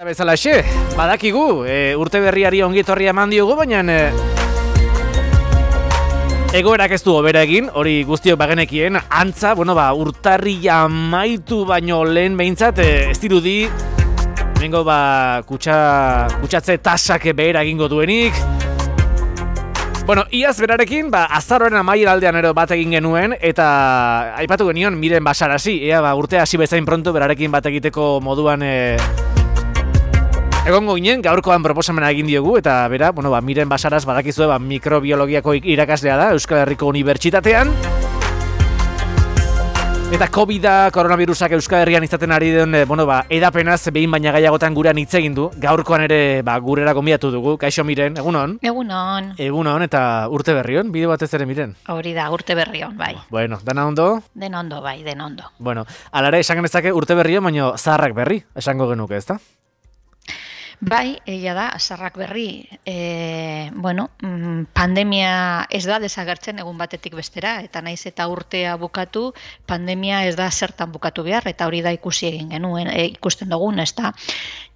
Bezalaxe, badakigu, urte berriari ongitorria eman diogu, baina egoerak ez du hobera egin, hori guztiok bagenekien, antza, urtarria amaitu baino lehen behintzat, ez dirudi, bengo kutsatze tasak behera egingo duenik. Iaz berarekin, azaroaren amaiera aldean ero bat egin genuen, eta aipatu genion Miren Basarasi, urtea hasi bezain pronto berarekin bat egiteko moduan egongo ginen, gaurkoan proposamena egin diogu, eta bera, Miren Basaras badakizue mikrobiologiako irakaslea da Euskal Herriko Unibertsitatean. Eta COVID-a, koronavirusak Euskal Herrian izaten ari den, edapenaz behin baina gaiagotan gurean hitz egin du. Gaurkoan ere gurera gonbidatu dugu. Kaixo Miren, egunon? Egunon. Egunon, eta urte berrion, bide batez ere Miren? Hori da, urte berrion, bai. Dana ondo? Den ondo, bai, den ondo. Alare, esan genezake urte berrion, baina zaharrak berri, esango genuke, ezta? Bai, egia da, zaharrak berri. Pandemia ez da desagertzen egun batetik bestera, eta naiz eta urtea bukatu, pandemia ez da zertan bukatu behar, eta hori da ikusi egin genuen, ikusten dugun, ez da.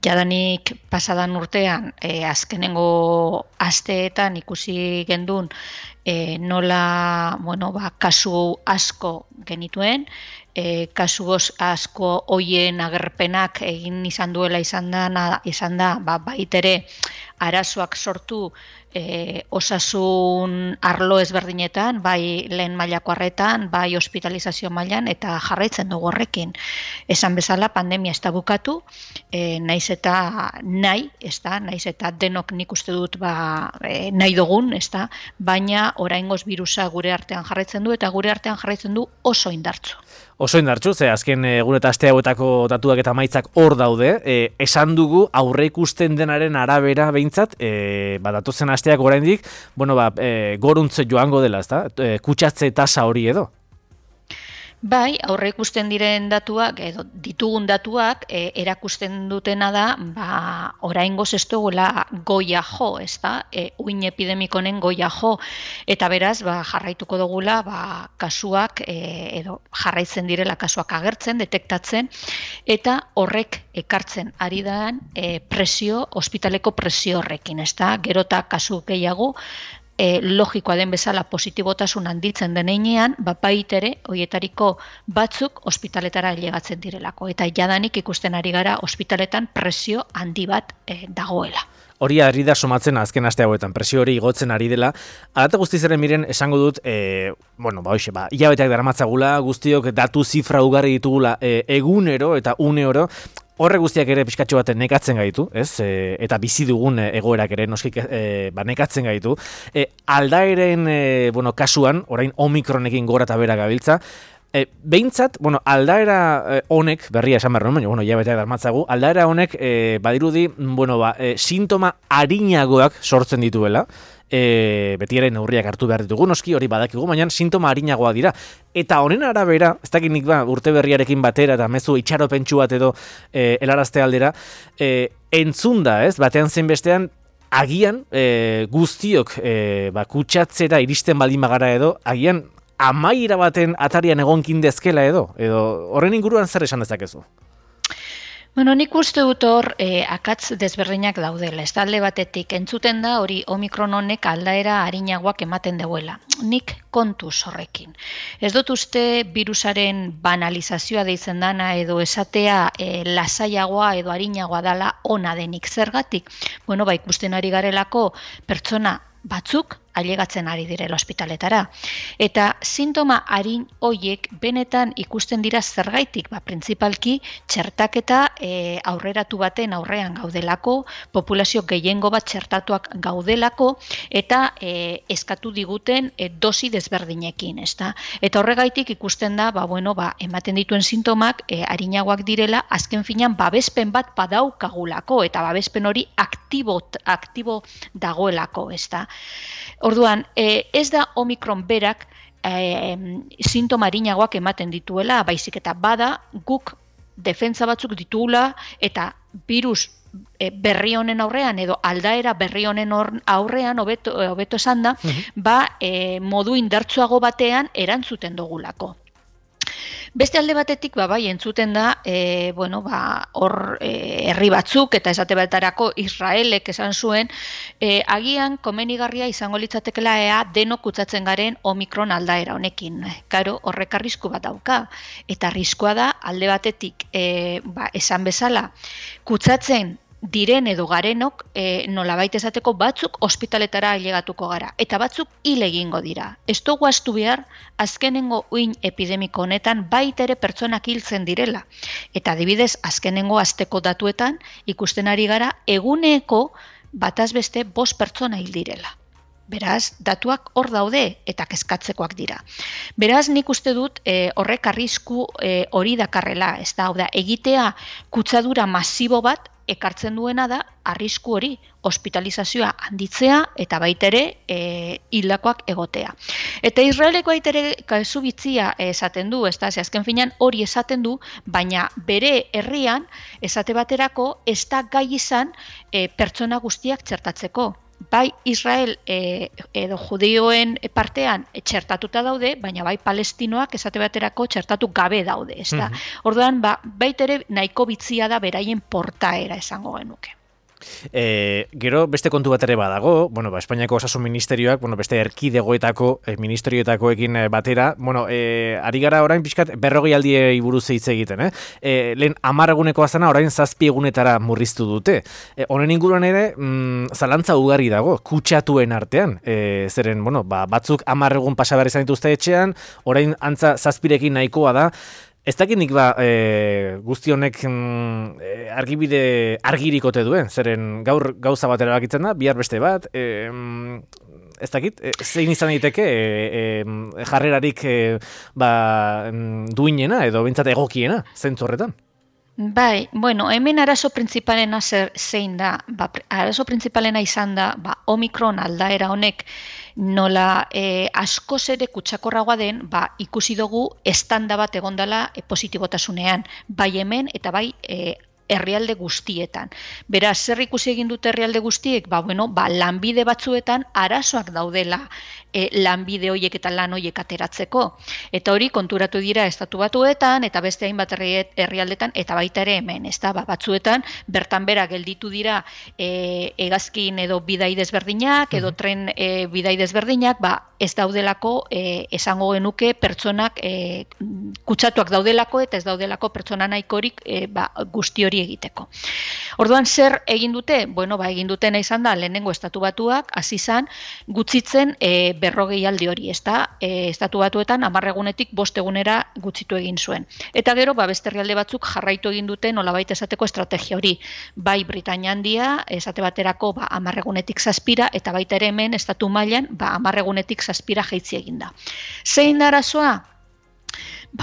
Jadanik pasadan urtean, azkenengo asteetan ikusi gendun, nola, kasu asko genituen, kasu asko hoien agerpenak egin izan duela izan da, baitere arazoak sortu osasun arlo ezberdinetan, bai lehen mailako arretan, bai hospitalizazio mailan, eta jarraitzen dugu horrekin. Esan bezala, pandemia ez da bukatu, naiz eta denok nik uste dut nahi dugun, baina oraingoz birusa gure artean jarraitzen du, eta gure artean jarraitzen du oso indartsu. Oso indartsu, ze azken egun eta aste hauetako datuak eta emaitzak hor daude. Esan dugu aurre ikusten denaren arabera behintzat, datozen asteak oraindik, goruntze joango dela, ezta? Kutsatze tasa hori edo? Bai, aurre ikusten diren datuak, edo ditugun datuak, erakusten dutena da, oraingoz ez dugula goia jo, ezta? Uin epidemikonen goia jo, eta beraz, jarraituko dugula, kasuak, edo jarraitzen direla kasuak agertzen, detektatzen, eta horrek ekartzen ari daan presio, ospitaleko presio horrekin, ezta? Gerota kasu gehiago, logikoa den bezala positibotasun handitzen deneinean, baitere hoietariko batzuk ospitaletara ailegatzen direlako. Eta jadanik ikusten ari gara ospitaletan presio handi bat dagoela. Hori ari da somatzen azken aste hauetan, presio hori igotzen ari dela. Alata guztizaren Miren esango dut, hilabeteak daramatzagula, guztiok datu zifra ugari ditugula egunero eta uneoro, horre guztiak ere pixkatxo baten nekatzen gaitu, ez? Eta bizi dugun egoerak ere noskik nekatzen gaitu. Aldaeren kasuan, orain Omikronekin gora eta bera gabiltza, behintzat, aldaera honek, berria esan behar nuen, baina hilabeteak darmatzagu, aldaera honek badirudi, sintoma arinagoak sortzen dituela, beti ere neurriak hartu behar ditugu, noski hori badakigu, baina sintoma arinagoa dira. Eta honen arabera, ez dakit nik urte berriarekin batera eta mezu itxaropentsu bat edo helarazte aldera, entzunda, ez, batean zein bestean, agian guztiok kutsatzera iristen baldin bagara edo, agian amaiera baten atarian egonkin dezkela edo horren inguruan zer esan dezakezu? Nik uste dut hor akatz desberdinak daudela. Ez alde batetik entzuten da hori Omikron honek aldaera arinagoak ematen deuela. Nik kontuz horrekin. Ez dut uste virusaren banalizazioa deitzen dana edo esatea lasaiagoa edo arinagoa dala ona denik. Zergatik? Ikusten ari garelako pertsona batzuk ailegatzen ari direla ospitaletara. Eta sintoma arin hoiek benetan ikusten dira zergaitik, printzipalki txertaketa aurreratu baten aurrean gaudelako, populazio gehiengo bat txertatuak gaudelako, eta eskatu diguten dosi desberdinekin, ezta? Eta horregaitik ikusten da, ematen dituen sintomak arinagoak direla, azken finean babespen bat badaukagulako, eta babespen hori aktibo dagoelako, ezta? Orduan, ez da Omikron berak sintoma arinagoak ematen dituela, baizik eta bada guk defentsa batzuk ditugula eta virus berri honen aurrean edo aldaera berri honen aurrean hobeto esan da, modu indartsuago batean erantzuten dugulako. Beste alde batetik, bai, entzuten da, hor herri batzuk, eta esate baterako Israelek esan zuen, agian komenigarria izango litzatekela denok kutsatzen garen Omikron aldaera honekin. Karo, horrek arrisku bat dauka, eta arriskua da alde batetik, esan bezala, kutsatzen diren edo garenok nolabait esateko batzuk ospitaletara ailegatuko gara, eta batzuk hil egingo dira. Ez dugu ahaztu behar, azkenengo uin epidemiko honetan baita ere pertsonak hiltzen direla. Eta adibidez, azkenengo asteko datuetan ikusten ari gara eguneko bataz beste 5 pertsona hil direla. Beraz, datuak hor daude eta kezkatzekoak dira. Beraz, nik uste dut horrek arrisku hori dakarrela, ez da, egitea kutsadura masibo bat ekartzen duena da arrisku hori, hospitalizazioa handitzea eta baita ere hildakoak egotea. Eta Israeleko baita ere kasu bitzia esaten du, ez da, azken finean hori esaten du, baina bere herrian esate baterako ez da gai izan pertsona guztiak txertatzeko. Bai Israel edo judioen partean txertatuta daude, baina bai palestinoak esate baterako txertatu gabe daude, ez da. Orduan, baita ere nahiko bitzia da beraien portaera esango genuke. Gero beste kontu bat ere badago, Espainiako Osasun Ministerioak, beste erkidegoetako ministerioetakoekin batera, ari gara orain pixkat 40 aldiei buruz hitz egiten, lehen 10 egunekoa zena orain 7 egunetara murriztu dute. Honen inguruan ere, zalantza ugari dago, kutsatuen artean, zeren, batzuk 10 egun pasa behar izan dituzte etxean, orain antza 7rekin nahikoa da. Ez dakit nik guzti honek argibide argirikote duen, zeren gaur gauza bat erabakitzen da, bihar beste bat, ez dakit, zein izan daiteke jarrerarik duinena edo bintzat egokiena, zentzu horretan? Bai, hemen arazo printzipalena zein da, arazo printzipalena izan da, Omikron aldaera honek nola askoz ere kutsakorragoa den, ikusi dugu estanda bat egondala positibotasunean, bai hemen eta bai herrialde guztietan. Beraz, zer ikusi egin dute herrialde guztiek? Lanbide batzuetan arazoak daudela lanbide horiek eta lan horiek ateratzeko. Eta hori konturatu dira estatu batuetan eta beste hainbat herrialdetan eta baita ere hemen, ez da, batzuetan bertan bera gelditu dira hegazkin edo bidai desberdinak edo tren bidai desberdinak, ez daudelako esango genuke pertsonak kutsatuak daudelako eta ez daudelako pertsona nahikorik guzti hori egiteko. Orduan zer egin dute? Egin dutena izan da lehenengo estatu batuak hasi izan gutxitzen 40 aldi hori, ez da, estatu batuetan 10 egunetik 5 egunera gutxitu egin zuen. Eta gero, beste herrialde batzuk jarraitu egin dute nolabait esateko estrategia hori. Bai Britainia Handia, esate baterako 10 egunetik 7 eta baita ere hemen estatu mailan 10 egunetik 7 jaitsi egin da. Zein da arazoa?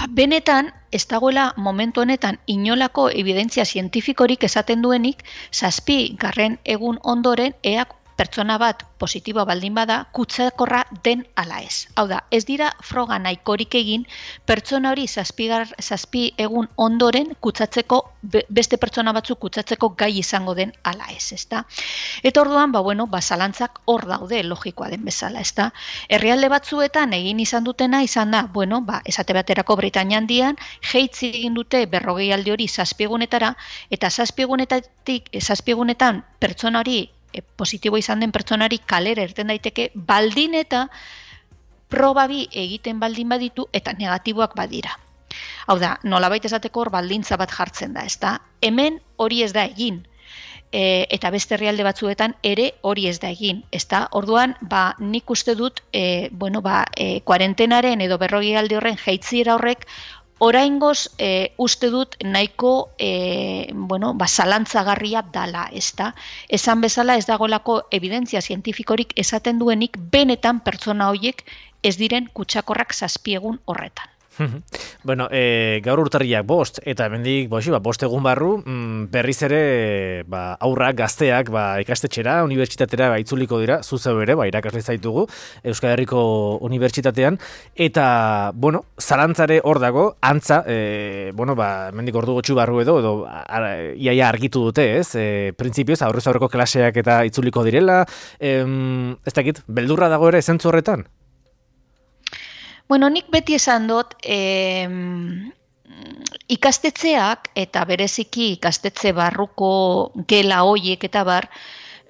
Benetan, ez dagoela momentu honetan inolako evidentzia zientifikorik esaten duenik 7. egun ondoren ea pertsona bat positiboa baldin bada kutsakorra den ala ez. Hau da, ez dira froga nahikorik egin pertsona hori 7 egun ondoren kutsatzeko, beste pertsona batzuk kutsatzeko gai izango den ala ez, ezta? Eta orduan, zalantzak hor daude logikoa den bezala, ezta? Herrialde batzuetan egin izan dutena izan da, esate baterako Britainia Handian, jaitsi egin dute 40 aldi hori 7 egunetara, eta 7 egunetan pertsona hori positibo izan den pertsonari kalera irten daiteke baldin eta proba bi egiten baldin baditu eta negatiboak badira. Hau da, nolabait esateko hor baldintza bat jartzen da, ezta? Hemen hori ez da egin. Eta beste herrialde batzuetan ere hori ez da egin, ezta? Orduan, nik uste dut, kuarentenaren edo 40 aldi horren jaitsiera horrek oraingoz uste dut nahiko zalantzagarria dala, ezta? Esan bezala ez dagoelako evidentzia zientifikorik esaten duenik benetan pertsona horiek ez diren kutsakorrak 7 egun horretan. Gaur urtarriak 5 eta hemendik 5 egun barru berriz ere aurrak, gazteak ikastetxera, unibertsitatera itzuliko dira, zuzeu ere, irakasle zaitugu Euskal Herriko Unibertsitatean, eta, zalantzare hor dago, antza, hemendik ordu gutxi barru edo iaia argitu dute, ez? Printzipioz, aurrez aurreko klaseak eta itzuliko direla, ez dakit, beldurra dago ere zentzu horretan? Nik beti esan dut, ikastetxeak eta bereziki ikastetxe barruko gela hoiek eta bar,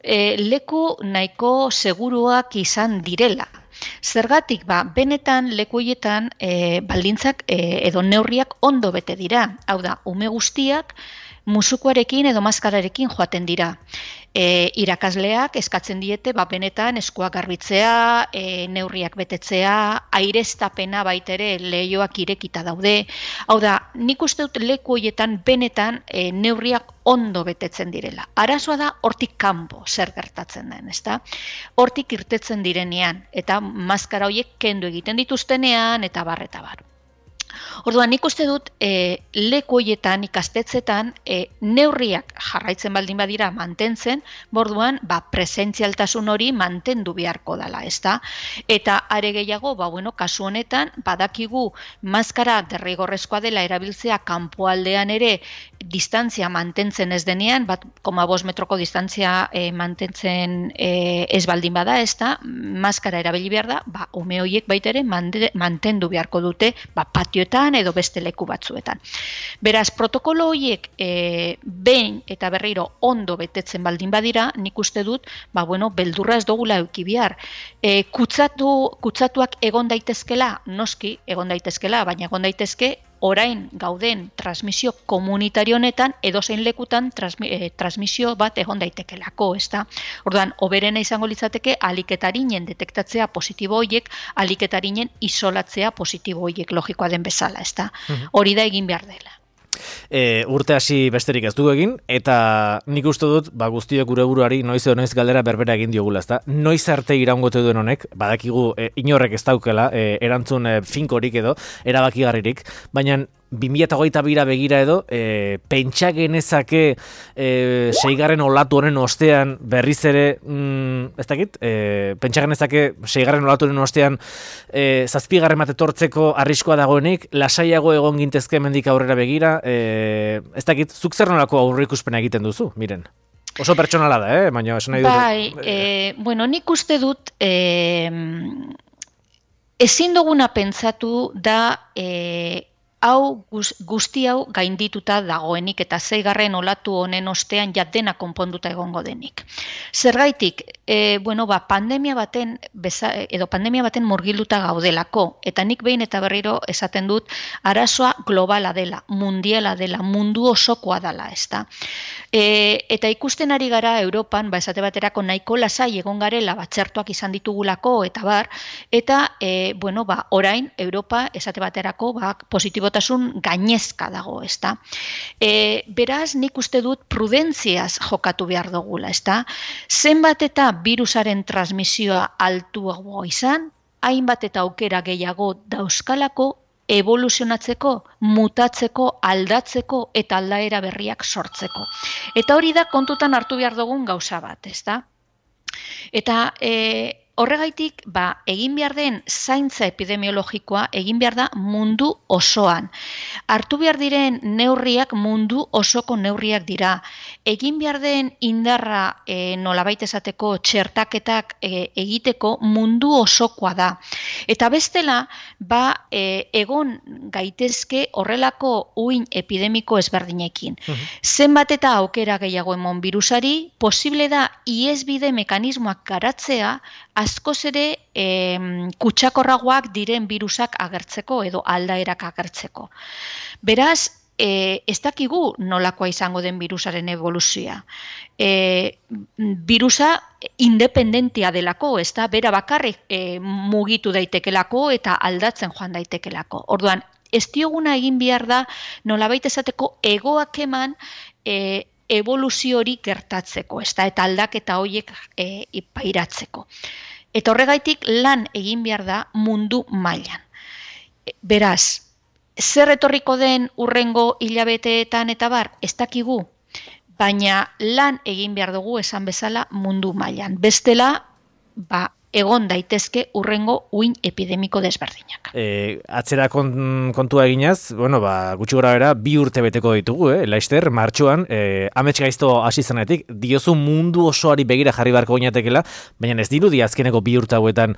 leku nahiko seguruak izan direla. Zergatik, benetan leku horietan baldintzak edo neurriak ondo bete dira. Hau da, ume guztiak musukoarekin edo maskararekin joaten dira. Irakasleak eskatzen diete benetan eskuak garbitzea, neurriak betetzea, aireztapena baitere leihoak irekita daude. Hau da, nik uste dut leku horietan benetan neurriak ondo betetzen direla. Arazoa da hortik kanpo zer gertatzen den, ezta? Hortik irtetzen direnean eta maskara horiek kendu egiten dituztenean eta bar. Orduan, nik uste dut leku horietan, ikastetxetan, neurriak jarraitzen baldin badira mantentzen, borduan, presentzialtasun hori mantendu beharko dela, ezta? Eta are gehiago, kasu honetan, badakigu maskara derrigorrezkoa dela erabiltzea kanpoaldean ere distantzia mantentzen ez denean, 1,5 metroko distantzia mantentzen ez baldin bada, ezta? Maskara erabili behar da, ume horiek baitere mantendu beharko dute, patioetan edo beste leku batzuetan. Beraz, protokolo horiek behin eta berriro ondo betetzen baldin badira, nik uste dut, beldurra ez dugula eduki behar. Kutsatuak egon daitezkela, noski egon daitezkela, baina egon daitezke orain gauden transmisio komunitario honetan edozein lekutan transmisio bat egon daitekelako, ezta? Orduan, hoberena izango litzateke aliketarinen detektatzea positibo horiek, aliketarinen isolatzea positibo horiek logikoa den bezala, ezta? Hori da egin behar dela. Urte hasi besterik ez dugu egin, eta nik uste dut, guztiok gure buruari noiz edo noiz galdera berbera egin diogula, ezta? Noiz arte iraungote duen honek, badakigu inorrek ez daukela, erantzun finkorik edo, erabakigarririk, baina 2022 begira edo, pentsa genezake 6. olatu honen ostean berriz ere, ez dakit, pentsa genezake 6. olatu honen ostean 7. bat etortzeko arriskoa dagoenik, lasaiago egon gintezke hemendik aurrera begira, ez dakit, zuk zer nolako aurreikuspena egiten duzu, miren? Oso pertsonala da, baina esan nahi dut. Nik uste dut, ezin duguna pentsatu da guzti hau gaindituta dagoenik eta 6. olatu honen ostean dena konponduta egongo denik. Zergaitik, pandemia baten murgilduta gaudelako, eta nik behin eta berriro esaten dut arazoa globala dela, mundiala dela, mundu osokoa dela, ezta. Eta ikusten ari gara Europan, esate baterako nahiko lasai egon garela, txertoak izan ditugulako, eta bar, eta orain Europa esate baterako positibotasun gainezka dago, ezta. Beraz, nik uste dut prudentziaz jokatu behar dugula, ezta. Zenbat eta virusaren transmisioa altuago izan, hainbat eta aukera gehiago dauzkalako evoluzionatzeko, mutatzeko, aldatzeko eta aldaera berriak sortzeko. Eta hori da kontutan hartu behar dugun gauza bat, ezta. Eta horregaitik, egin behar den zaintza epidemiologikoa egin behar da mundu osoan. Hartu behar diren neurriak mundu osoko neurriak dira. Egin behar den indarra nolabait esateko txertaketak egiteko mundu osokoa da. Eta bestela, egon gaitezke horrelako uin epidemiko ezberdinekin. Zenbat eta aukera gehiago emon virusari, posible da ihesbide mekanismoak garatzea askoz ere kutsakorragoak diren virusak agertzeko edo aldaerak agertzeko. Beraz, ez dakigu nolakoa izango den virusaren evoluzioa. Virusa independentia delako, ez da, bera bakarrik mugitu daitekelako eta aldatzen joan daitekelako. Orduan, ez dioguna egin behar da nolabait esateko egoak eman evoluzio hori gertatzeko, eta aldaketa horiek pairatzeko. Eta horregaitik lan egin behar da mundu mailan. Beraz, zer etorriko den hurrengo hilabeteetan eta bar, ez dakigu, baina lan egin behar dugu esan bezala mundu mailan. Bestela, egon daitezke urrengo uin epidemiko desberdinak. Atzera kontua eginaz, gutxi gora bera, 2 urte beteko ditugu, Laister, martxoan, amets gaizto hasi zenetik, diozu mundu osoari begira jarri beharko ginatekela, baina ez dirudi azkeneko 2 urte hauetan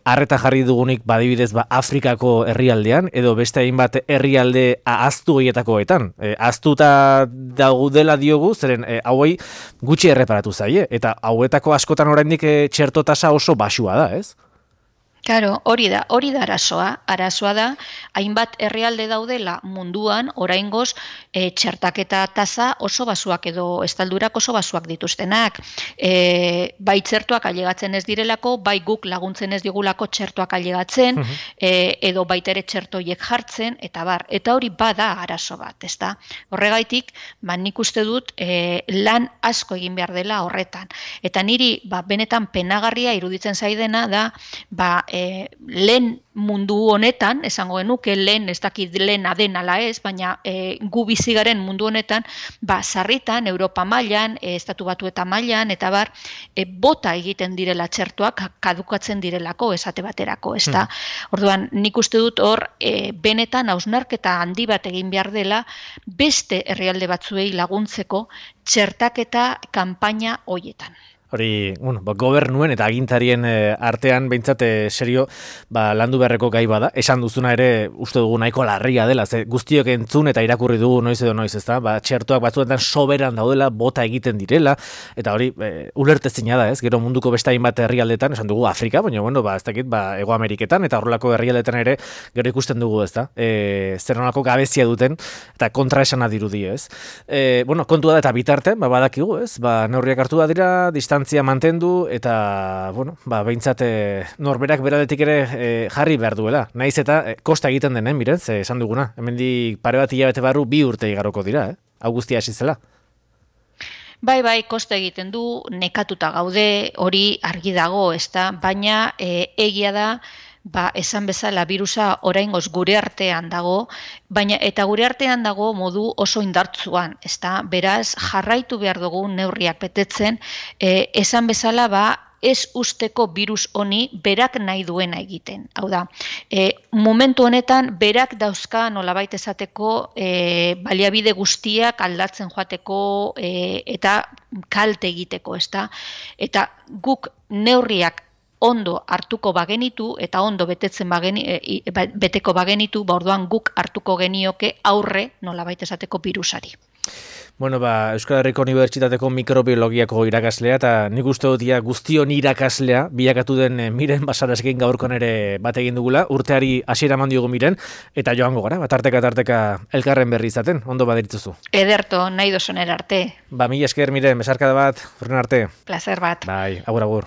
arreta jarri dugunik badibidez Afrikako herrialdean, edo beste hainbat herrialde ahaztu horietakoetan. Ahaztuta daudela diogu, zeren hauei gutxi erreparatu zaie, eta hauetako askotan oraindik txerto tasa oso baxua da, ez? Claro, hori da arazoa da, hainbat herrialde daudela munduan, oraingoz, txertaketa tasa oso basuak edo estaldurak oso basuak dituztenak. Bai txertoak ailegatzen ez direlako, bai guk laguntzen ez digulako txertoak ailegatzen, edo baitere txertoiek jartzen, eta bar. Eta hori bada arazo bat, ezta? Horregaitik, nik uste dut lan asko egin behar dela horretan. Eta niri, benetan penagarria iruditzen zaidena da, lehen mundu honetan, esango genuke lehen, ez dakit lehen aden ala ez, baina gu bizigaren mundu honetan, sarritan, Europa mailan, Estatu Batuetan mailan, eta bar, bota egiten direla txertoak, kadukatzen direlako, esate baterako, ez da? Orduan, nik uste dut hor, benetan hausnarketa handi bat egin behar dela, beste herrialde batzuei laguntzeko txertaketa kanpaina hoietan. Hori, gobernuen eta agintarien artean behintzat serio landu beharreko gai bada. Esan duzuna ere uste dugu nahiko larria dela, ze guztiok entzun eta irakurri dugu noiz edo noiz, ezta? Txertoak batzuetan soberan daudela, bota egiten direla, eta hori ulertezina da, ez? Gero munduko beste hainbat herrialdetan, esan dugu Afrika, baina ez dakit, Hego Ameriketan eta horrelako herrialdetan ere gero ikusten dugu, ezta? Zer nolako gabezia duten eta kontra esana dirudi, ez? Kontua da eta bitartean, badakigu, ez? Neurriak hartu da dira, distantzia mantendu eta, behintzat norberak beraldetik ere jarri behar duela. Naiz eta kosta egiten denen, mirez, esan duguna. Hemendik pare bat hilabete barru 2 urte igaroko dira, Hau guztia hasi zela. Bai, kosta egiten du, nekatuta gaude, hori argi dago, ezta, baina egia da, esan bezala birusa oraingoz gure artean dago, baina eta gure artean dago modu oso indartsuan, ezta? Beraz, jarraitu behar dugu neurriak betetzen, esan bezala ez usteko birus honi berak nahi duena egiten. Hau da, momentu honetan berak dauzka nolabait esateko baliabide guztiak aldatzen joateko eta kalte egiteko, ezta? Eta guk neurriak ondo hartuko bagenitu eta ondo beteko bagenitu, orduan guk hartuko genioke aurre nolabait esateko birusari. Euskal Herriko Unibertsitateko mikrobiologiako irakaslea eta nik uste dut guztion irakaslea bilakatu den Miren Basareskin gaurkon ere bat egin dugula, urteari hasiera eman diogu Miren, eta joango gara, tarteka elkarren berri izaten, ondo baderitzuzu. Ederto, nahi dozonera arte. Mila esker Miren, besarkada bat, urren arte. Placer bat. Bai, agur.